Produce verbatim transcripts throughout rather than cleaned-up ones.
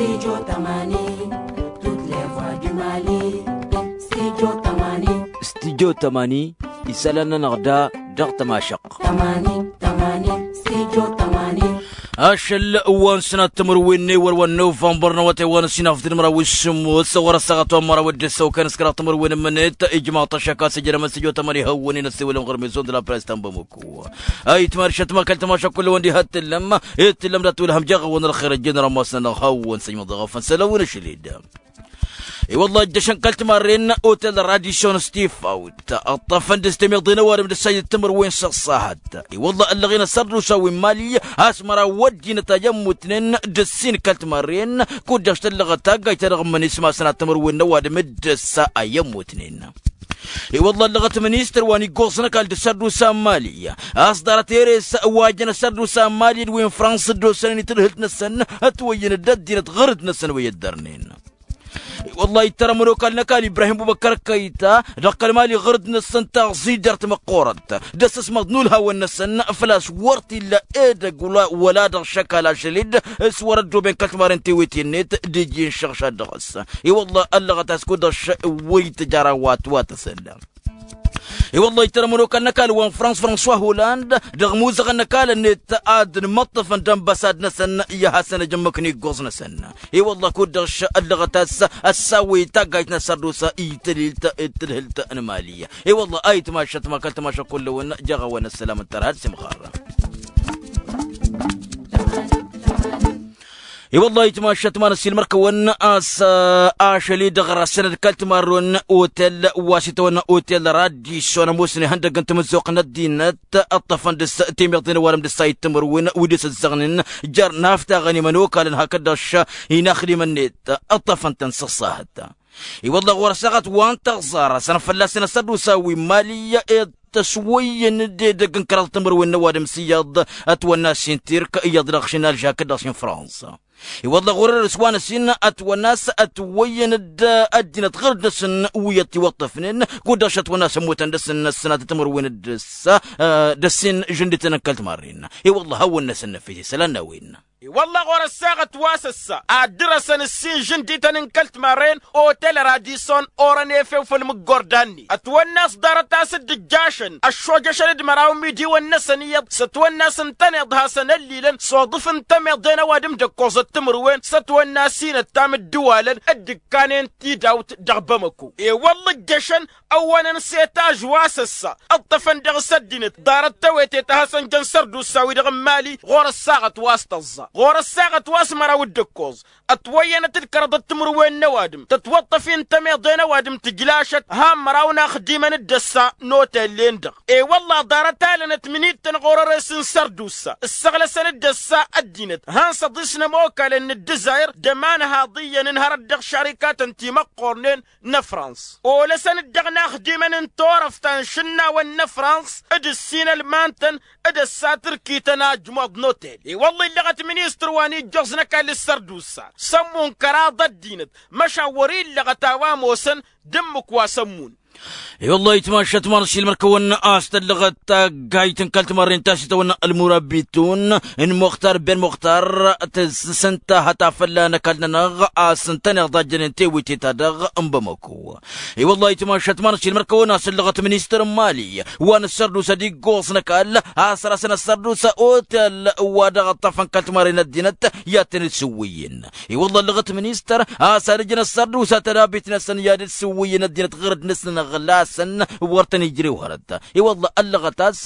Studio tămani, toutes les voix du Mali. Studio tămani. Studio tămani, isălan-nănăɣ da dăɣ-tămašăɣt. Tămani, tămani, studio tămani. Ašăl wa n-sănat timǝrwen n-ewăr wa n-novămbăr n-awătay wa n-ăsinaf d-inmăraw s-sǝmmos ɣur-ăssaɣăt wa n-măraw d-ǝssăw kănăskăraɣ timǝrwen n-imǝnet ijmaḍ-t ăššăk a-s ǝjrămăn studio tămani hawăn-in ăssewălăn ɣur-mizon d-la press ta n-bamăko. Ayǝtma ăršăt ma kăl-tămaša kull-wăn diha t-tǝllăm. Ittǝllăm dat-wălhăm jaɣ-wăn ălxer ăjjeen rămmas-nănăɣ hawăn-săjmăḍ dăɣ-afăn sălăwăn ašăl-dd. I-wălla ăjjăšăn kăl-timarren otel radisyon stifawt ǝṭṭăfăn dăɣ-s temiḍe n-ăwadǝm d-ǝssajăt timǝrwen s-ăṣṣahăt. I-wălla ăllăɣen ăssărdusa wi n-mali a-s măraw ăddinăt a i-ămmutnen d-ǝssin kăl-timarren. Kud-dăɣ s-tăllăɣăt taggajt-ta-dăɣ ǝmmǝn ismasăn ad-timǝrwen n-ăwadǝm d-ǝssa a i-ămmutnen. I-wălla ăllăɣăt ministăr wa n-iggoẓ n-ăkall d-ăssărdusa n-mali a-s ḍarăt eres wa jăn ăssărdusa n-mali d-wi n-frans dd-osănen i-tǝdhǝlt-năsăn ătwăyyăn d-ăddinăt ɣǝrǝd-năsăn wi ăddărnen. I-wălla ittărămăn okal n-ăkall ibrahim bubăkkăr kăyta dăɣ-kăl-mali ɣǝrǝd-năsăn taẓijărt măqqoorăt d-ăssăsmăḍ n-ulhawăn-năsăn făl-a-s wăr t-illa edăgg wăla dăɣ-šăkal ašăl-dd. S-wăr-ăddooben kăl-timaren tewete-net d-iji n-išăɣšad dăɣ-s. I-wălla ăllăɣăt a-s kud-dăɣ š-wăy tǝjăra wa t-wa tăsălla. I-wălla ittărămăn okal n-ăkall wa n-frans françois holand dăɣ-imuzăɣăn n-ăkall-net ad-ǝnmăṭṭăfăn d-ănbăsad-năsăn i-ad-hasăn-ăj ǝmmǝk n-iggoẓ-năsăn. I-wălla kud-dăɣ š-ăllăɣăt a-s ăssawăy taggajt n-ăssărdusa i-tǝlhilt d-tǝlhǝlt n-mali. I-wălla a itmašăt ma kăl-tămašăt kull-ewăn jaɣ-a-wa n-ăssălam ǝntăr had-simɣar. I-wălla itmašăt ma n-ăssiilmăr-kăwăn a-s ašăl-i-dăɣ răsăn d-kăl-timarrăwăn otel wa s-itawănna otel radison ămoosnen ihăndăgg n-tamǝzzuɣt n-ăddinăt ǝṭṭăfăn dăɣ-s temiḍe n-ăwadǝm d-ǝssa i-timǝrwen wi d-asǝzzăɣnen jer-naftaɣăn imănokalăn hakd-dăɣ š-inaxdimăn-net ǝṭṭăfăn-tăn s-ăṣṣahăt. I-wălla ɣur-ăssaɣăt wa n-tăɣẓarăsăn fălla-săn ăssărdusa wi n-mali i-tăswăyyăn d-edăgg n-kăraḍ timǝrwen n-ăwadǝm s-iyyăḍ ătwănna s-intirk iyyăḍ dăɣ-šin alži hakd-dăɣ šin fransa. I-wălla ɣur-erăs wa n-ăsin ătwănna a-s ătwăyyăn d-ăddinăt ɣǝrǝd-năsăn wi ătiwăṭṭăfnen kud-dăɣ šătwănna a-s ămmutăn dăr-săn n-ăssinat timǝrwen d-ǝssa d-ăssin žǝndităn n-kăl-timarren. I-wălla hawăn-năsăn năfis isălan n-a-wen. I-wălla ɣur-ăssaɣăt wa s-ăssa ad-dăr-săn ǝssin žǝndităn n-kăl-timarren otel radison orăn efew făll-mǝggordan-net ătwănna a-s ḍarăt a-s dd-ǝjjašăn ăššojăšăn d-măraw imidiwăn-năsăn iyyăḍ s-ătwănna a-s ǝntăneḍ hasăn-ăllilăn s-oḍǝf n-tămeḍe n-ăwadǝm d-ǝkkoẓăt timǝrwen s-ătwănna a-s inăttam ǝddǝwalăn dd-ǝkkanen tidawt dăɣ-bamăko. I-wălla ǝjjăšăn ăwwănăn s-etaž wa s-ăssa ǝṭṭăfăn dăɣ-s ăddinăt ḍarăt tewete ta hasăn-jăn sărdusa-wi-dăɣ n-mali ɣur-ăssaɣăt wa s-tăẓẓa ɣur-ăssaɣăt wa s-măraw d-ǝkkoẓ. Ătwăyyănăt d-kăraḍăt timǝrwen n-ăwadǝm tătwăṭṭăf-in tămeḍe n-ăwadǝm tǝjlašăt han măraw n-axdimăn d-ăssa n-otel-en-dăɣ. I-wălla ḍarăt alănăt mǝnittăn ɣur-ăres n-sărdusa ǝssăɣlăsăn-dd ăssa ăddinăt han s-ăḍis n-ămokalăn n-ǝddǝzayr d-ămanhaḍ iyyăn ǝnhărăt dăɣ-šarikatăn timăqqornen n-ăfrans olăsăn-dd dăɣ-inaxdimăn n-turăft ta n-išǝnnawăn n-ăfrans d-ǝssin ălman-tăn d-ăssatărkităn ajmuḍ n-otel. I-wălla illăɣăt ministăr wa n-ijjoẓ n-ăkall s-sărdusa s-ămmun kăraḍ ăddinăt măšan wăr-illăɣăt a-wa ămoosăn d-ǝmmǝk wa s-ămmun. I-wălla itmašăt ma n-ăssiilmăr-kăwăn a-s tăllăɣăt taggayt n-kăl-timarren ta s-itawănna ălmurabitun n-muxtar ben muxtar tǝssǝntahăt a fălla-năk ălnănăɣ a-s ǝntăneḍ a jănen tewǝte-ta-dăɣ n-bamăko. I-wălla itmašăt ma n-ăssiilmăr-kăwăn a-s ăllăɣăt ministăr n-mali wa n-ăssărdusa d-iggoẓ n-ăkall a-s răsăn ăssărdusa otel wa dăɣ-ăṭṭăfăn kăl-timarren ăddinăt i-ad-tăn-dd-sǝwwǝyǝn. I-wălla ăllăɣăt ministăr a-s ad-ǝjǝn ăssărdusa tădabit-năsăn i-ad-dd-sǝwwǝyǝn ăddinăt ɣărăd-năsăn ăɣlasăn wăr tăn-ijrew hărăt. I-wălla ăllăɣăt a-s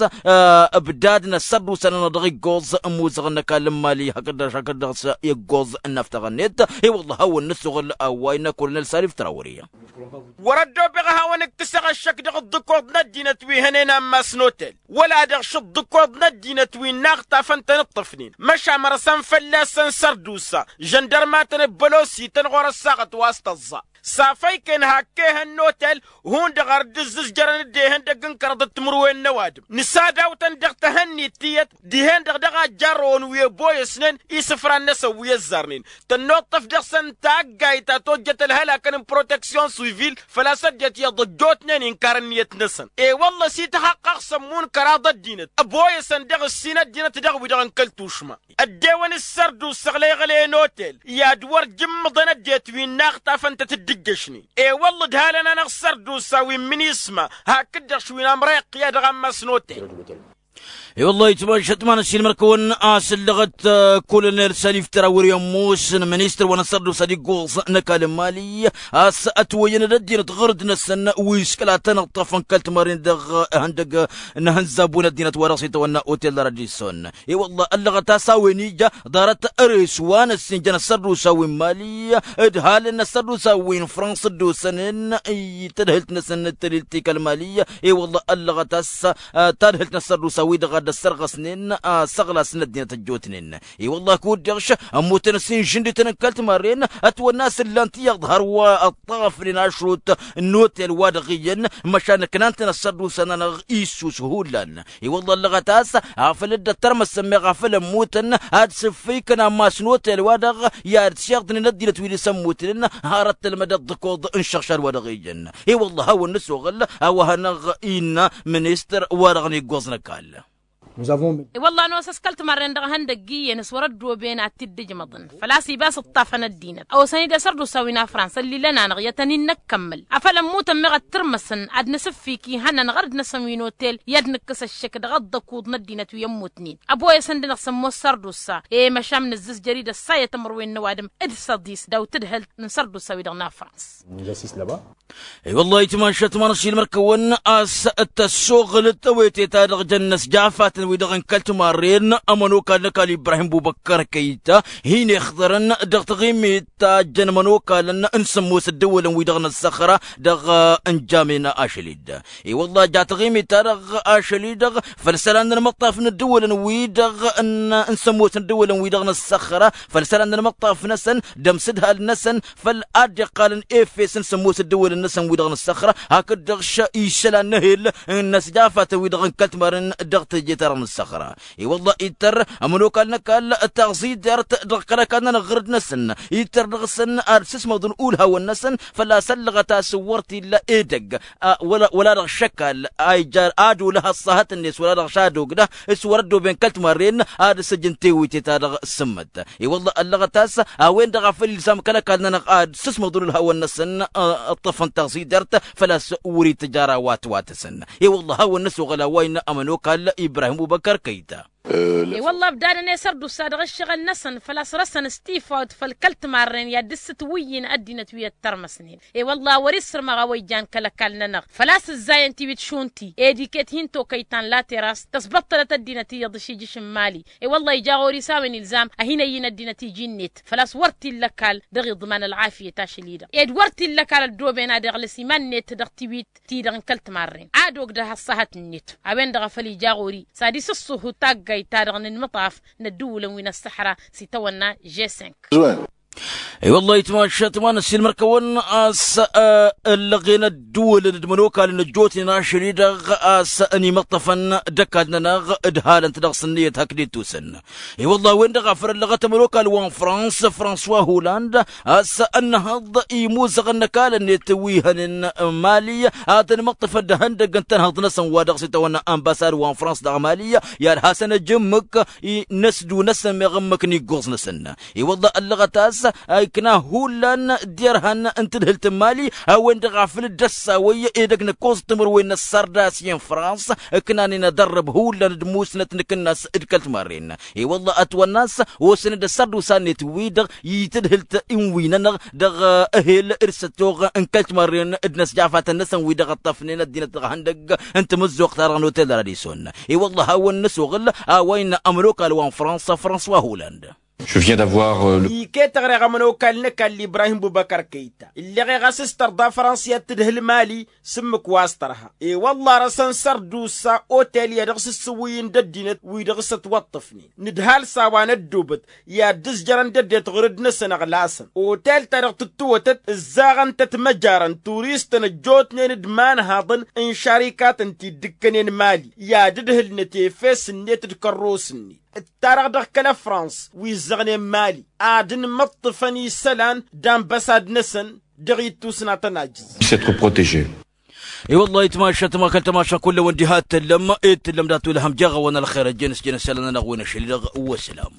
ǝbdadăn ăssărdusa-nănăɣ dăɣ-iggoẓ n-imuzăɣăn n-ăkall n-mali hakd-dăɣ hakd-dăɣ s-iggoẓ n-inaftăɣăn-net. I-wălla hawăn-nǝssuɣǝl a-wa innă kolonel salif trawări. Wăr-ăddoobeɣ a hawăn-ǝkkǝsăɣ ăššăk dăɣ-ǝḍḍǝkoḍ n-ăddinăt wi hănen ammas n-otel wăla dăɣ-šǝḍḍǝkoḍ n-ăddinăt wi n-inaɣ tafăn-tăn-ǝṭṭăfnen măšan mărăsăn fălla-săn sărdusă žăndărmatăn d-bălosităn ɣur-ăssaɣăt wa s-tăẓẓa. S-afăyken hak ehăn n-otel hundăɣ ar dd-ǝzzǝzjărăn d-ehăndăgg n-kăraḍăt timǝrwen n-ăwadǝm nǝsadawtăn dăɣ-tăhănnit tiyyăt dihen-dăɣ dăɣ-ajjarrăwăn wi ăboyăsnen isǝfran-năsăn wi ăzzarnen tănnuṭṭăf dăɣ-săn taggayt ta tojjăt ălhălakăn n-proteksyon sivil făl-a-s ăddinăt iyyăḍ ăjjootnen inkar ǝnniyăt-năsăn. I-wălla s-ităhăqqăɣ s-ămmun kăraḍ ăddinăt ăboyăsăn dăɣ-ǝssin ăddinăt dăɣ-wi-dăɣ n-kăl-tušma ăddewăn s-sărdusa ăɣleɣăl i-ănotel i-ad-wăr jǝmmǝḍăn ăddinăt wi n-aɣtafăn-tăt dd-ǝjjăšnen. I-wălla ǝdhalăn-anăɣ sărdusa wi n-minisma hakd-dăɣ š-wi n-amrăyăqqǝya dăɣ-ammas n-otel. I-wălla-hi tmašat ma n-ăssiilmăr-kăwăn a-s ǝllăɣăt kolonel salif tăra wăr-i ămoosăn ministăr wa n-asărdusa d-iggoẓ n-ăkall n-mali a-s ătwăyyăn d-ăddinăt ɣur-dd-năsăn wi s-kăla tăn-ǝṭṭăfăn kăl-timarren dăɣ-ihăndăg n-ihănzabun ăddinăt wa dăɣ-s itawănna otel d-aradison. I-wălla ăllăɣăt a-s a-wen ija ḍarăt ăres wa n-ăssinjăn ăssărdusa wi n-mali d-halăn n-ăssărdusa wi n-frans dd-osănen i-tadhǝlt-năsăn n-tălilt ti kăl-mali. I-wălla ăllăɣăt a-s tadhǝlt n-ăssărdusa wi-dăɣ a dd-ăssărɣăsnen s-ăɣlas n-ăddinăt ăjjootnen. I-wălla kud-dăɣ š-ămmutăn s-inžǝndităn n-kăl-timarren ătwănna a-s ǝllan-t iyyăḍ hărwa ăṭṭafnen ašrut n-otel wa dăɣ-iyyăn măšan ǝknan-tăn ăssărdusa-nănăɣ issus hullan. I-wălla ăllăɣăt a-s afăl dd-ăttărmăsăn meɣ afăl ămmutăn ad-sǝffǝykăn ammas n-otel-wa-dăɣ i-ad-siɣdnen ăddinăt wi dăɣ-s ămmutnen. Hărăt tălmădăt d-ǝkoḍ n-išăɣšad wa dăɣ-ijăn. I-wălla a hawăn-nǝsoɣăl a-wa hanăɣ-innă ministăr wa dăɣ-niggoẓ n-ăkall. I-wălla nosăs kăl-timarren dăɣ-ihăndăgg iyyăn s-wăr-ăddooben ad-t-dd-ǝjmăḍăn făl-a-s ibas ǝṭṭafăn ăddinăt a osăn-dd asărdusa wi n-afrans ăllilăn-anăɣ i-ad-tăn-in-năkkămmăl afăl ămmutăn meɣ ăttărmăsăn ad-nǝsǝffik ihănnăn ɣur-dd-năsăn wi n-otel i-ad-nǝkkǝs ăššăk dăɣ-ăḍḍăkuḍ n-ăddinăt wi ămmutnen. Ăboyăsăn-dăɣ s-ămoos sărdusa i-măšan nǝzzǝzjăr-dd ăssayăt ămrăwen n-ăwadǝm d-săḍis daw-tǝdhălt n-sărdusa wi-dăɣ n-afrans. I-wăllah itmašat ma n-ăssiilmăr-kăwăn a-s tăssoɣǝlăt tawete-ta-dăɣ jăn inăsjafatăn-wi-dăɣ n-kăl-timarren ămănokal n-ăkall ibrahim bubăkkăr kăyta hin-ixḍărăn dăɣ-taɣimit ta jăn imănokalăn n-sămmos ăddăwălăn-wi-dăɣ n-ăssăxra dăɣ-ǝnjam-en ašăl-dd. I-wăllah ja taɣimit-ta-dăɣ ašăl-i-dăɣ făll-isălan n-ălmăṭṭaf n-ǝddǝwălăn-wi-dăɣ n-sămmos n-ǝddǝwălăn-wi-dăɣ n-ăssăxra făll-isălan n-ălmăṭṭaf-năsăn d-ămsǝdhal-năsăn făll-a dd-iqqalăn efes n-sămmos ǝddǝwălăn-năsăn wi-dăɣ n-ăssăxra hakd-dăɣ š-isălan n-ehel n-inăsjafatăn-wi-dăɣ n-kăl-timarren dăɣ-teje-ta-dăɣ n-ăssăxra. I-wăllah ittăr ămănokal n-ăkall taẓidert dăɣ-kăl-ăkall-nănăɣ ɣur-dd-năsăn ittăr dăɣ-săn ad-sǝsmăḍăn ulhawăn-năsăn făl-a-s ăllăɣăt a-s wăr t-illa edăgg wăla dăɣ-šăkal a ija ad-olăh ăṣṣahăt-net wăla dăɣ-šad ogdăh s-wăr-ăddooben kăl-timarren ad-săj n-tewite-ta-dăɣ s-sǝmmăt. I-wăllah ăllăɣăt a-s a-wen-dăɣ a făl ilzam kăl-ăkall-nănăɣ ad-sǝsmăḍul ǝlhawăn-năsăn ǝṭṭăfăn taẓidert făl-a-s wăr-itǝjara wa t-wa tǝsǝn. I-wăllah hawăn-năsoɣăl a-wa innă ămănokal ibrahim ubăkăr kăyta. I-wălla ăbdadăn i-sărdusa dăɣ-ǝššăɣǝl-năsăn făl-a-s răsăn s-tifawt făll-kăl-timarren i-ad-dd-ǝssǝtwǝyyǝn ăddinăt wi ăttărmăsnen. I-wălla a wăr-issărmăɣ a-wa ijan kăl-ăkall-nănăɣ făl-a-s ǝzzayăn tiwit šund ti ed iket hin-tokăy ta n-lateras tăsbăṭṭălăt ăddinăt iyyăḍ ašijǝš n-mali. I-wălla ija ɣur-i s-a-wen ilzam ad-hin-ăyyǝn ăddinăt iji-net făl-a-s wăr t-illa ăkall dăɣ-iḍman ălɣafyăt ašăl-i-dăɣ ed wăr t-illa ăkall ăddooben ad-iɣlăs iman-net dăɣ-tiwit ti-dăɣ n-kăl-timarren ad-ogdăh ăṣṣahăt-net. A-wen-dăɣ a făl ija ɣur-i s-ad-isǝṣṣuhu taggayt-ta-dăɣ n-inmǝṭṭaf n-ăddǝwǝlăn wi n-ăṣṣăḥra s-itawănna žesink. I-wăllah itmašat ma n-ăssiilmăr-kăwăn a-s ăllăɣen ăddǝwǝlăn d-imănokalăn ăjjootnen ašăl-i-dăɣ a-s ănimăṭṭăfăn d-ăkall-nănăɣ d-halăn-t dăɣ-s ǝnniyăt hakd ittusăn. I-wăllah a-wen-dăɣ a făl ăllăɣăt ămănokal wa n-frans françois holand a-s ănnăhăḍ imuzăɣăn n-ăkall-net wi hănen mali ad-ănmăṭṭăfăn d-ihăndăgg n-tănhăḍ-năsăn wa dăɣ-s itawănna ănbasad wa n-frans dăɣ-mali i-ad-hasăn-ăj ǝmmǝk i-năsdu-năsăn meɣ ǝmmǝk n-iggoẓ-năsăn. I-wăllah ăllăɣăt a-s ikna hullan d-irhan n-tǝdhǝlt n-mali a-wen-dăɣ a făl dd-ăssawăy edăgg n-ǝkkoẓ timǝrwen n-ăssardas i-n-frans ǝknanen ad-ărrăb hullan d-musnăt n-akǝnnas d-kăl-timarren. I-wălla ătwănna a-s osăn-dd ăssărdusa-net-wi-dăɣ i-tǝdhǝlt n-wi-nănăɣ dăɣ-ehel d-săttoɣ n-kăl-timarren d-inăsjafatăn-năsăn wi dăɣ-ǝṭṭăfnen ăddinăt dăɣ-ihăndăgg n-tamǝzzuɣt-ta-dăɣ n-otel d-aradison. I-wălla a hawăn-năsoɣǝl a-wa innă ămănokal wa n-frans françois holand. Je viens d'avoir, euh, le- Iket ăɣreɣ ămănokal n-ăkall ibrahim bubăkăr kăyta illeɣ i-ɣas s-tărḍa fransa i-ad-tǝdhǝl mali. S-ǝmmǝk wa s-tărha i-wălla răsăn sărdusa otel i-ad-dăɣ s-ǝssǝwǝyǝn d-ăddinăt wi-dăɣ s-ătwăṭṭăfnen. Nǝdhal s-a-wa n-ăddoobăt i-ad-dd-ǝzjărăn d-ăddinăt ɣur-dd-năsăn ăɣlasăn otel-ta-dăɣ tǝttǝwătăt ǝzzaɣăn-tăt măjarăn turistăn ăjjootnen d-imanhaḍăn n-šarikatăn ti dd-ǝkkănen mali i-ad-ǝdhǝlnăt efes-net d-kărros-net. D-ta-dăɣ dăɣ-kăl-ăfrans wi ǝzzăɣnen mali ad-ǝnmǝṭṭǝfăn isălan d-anbăsad-năsăn. Dăɣ-ittus n-ad-tăn-ajǝẓ. Puisse être protégé. I-wăllah itmašat ma kăl-tamaša kull-ewăn diha t-tǝllăm i-t-tǝllăm dat-wăl hăm jeɣ-awăn ălxer ăjjănăs jănăs isălan-nănăɣ wi n-ašăl-i-dăɣ. Wăslam.